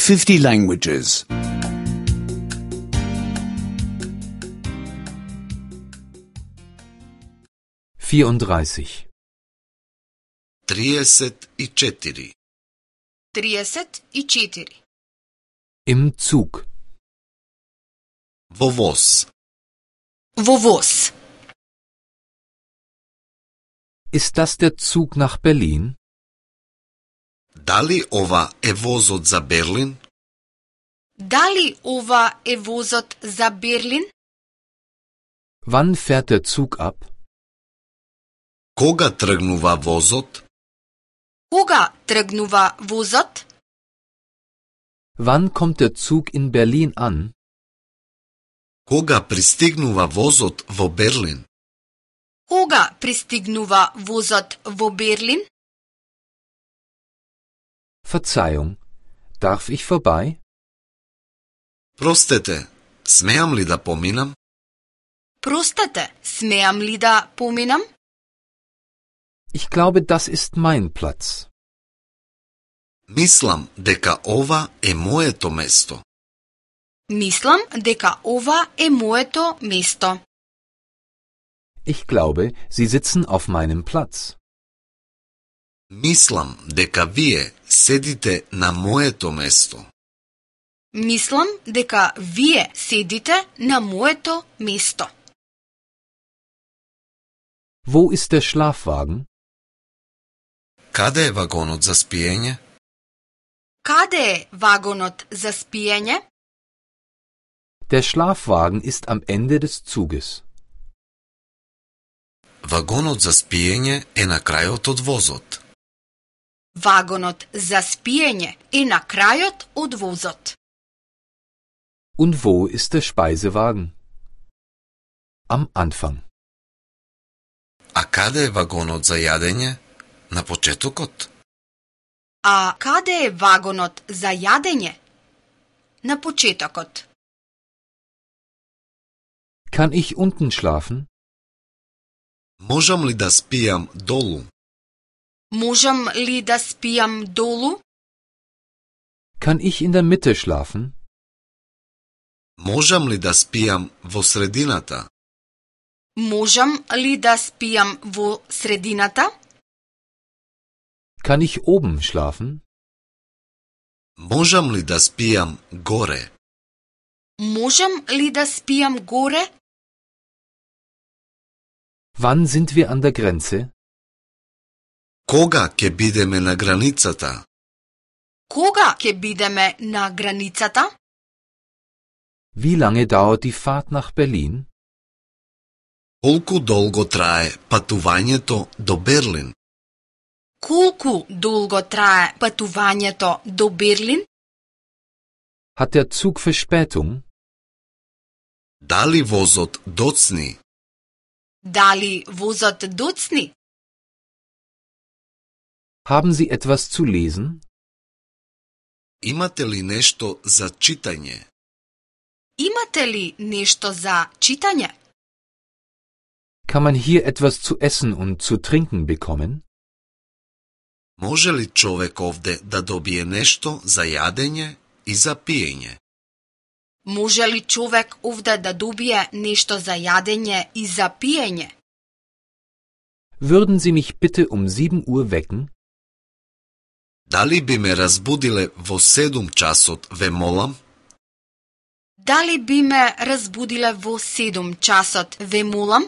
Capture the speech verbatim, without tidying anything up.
fifty languages. vierunddreißig. триесет и четири. триесет и четири. Im Zug. Во воз. Во воз. Ist das der Zug nach Berlin? Дали ова е возот за Берлин? Дали ова е возот за Берлин? Wann fährt der Zug ab? Кога тргнува возот? Кога тргнува возот? Wann kommt der Zug in Berlin an? Кога пристигнува возот во Берлин? Кога пристигнува возот во Берлин? Verzeihung, darf ich vorbei? Простете, смеам ли да поминам? Простете, смеам ли да поминам? Ich glaube, das ist mein Platz. Мислам дека ова е моето место. Мислам дека ова е моето место. Ich glaube, Sie sitzen auf meinem Platz. Мислам дека вие седите на моето место. Мислам дека вие седите на моето место. Wo ist der Schlafwagen? Каде е вагонот за спиење? Каде е вагонот за спиење? Der Schlafwagen ist am Ende des Zuges. Вагонот за спиење е на крајот од возот. Вагонот за спиење е на крајот од возот. Und wo ist der Speisewagen? Am Anfang. А каде е вагонот за јадење? На почетокот. А каде е вагонот за јадење? На почетокот. Kann ich unten schlafen? Можам ли да спијам долу? Можам ли да спијам долу? Kann ich in der Mitte schlafen? Можам ли да спијам во средината? Можам ли да спијам во средината? Kann ich oben schlafen? Можам ли да спијам горе? Можам ли да спијам горе? Wann sind wir an der Grenze? Кога ќе бидеме на границата? Кога ќе бидеме на границата? Wie lange dauert die Fahrt nach Berlin? Колку долго трае патувањето до Берлин? Колку долго трае патувањето до Берлин? Hat der Zug Verspätung? Дали возот доцни? Дали возот доцни? Haben Sie etwas zu lesen? Имате ли нешто за читање? Имате ли нешто за читање? Kann man hier etwas zu essen und zu trinken bekommen? Може ли човек овде да добие нешто за јадење и за пиење? Може ли човек овде да добие нешто за јадење и за пиење? Würden Sie mich bitte um sieben Uhr wecken? Дали би ме разбудиле во седум часот, ве молам? Дали би ме разбудиле во седум часот, ве молам?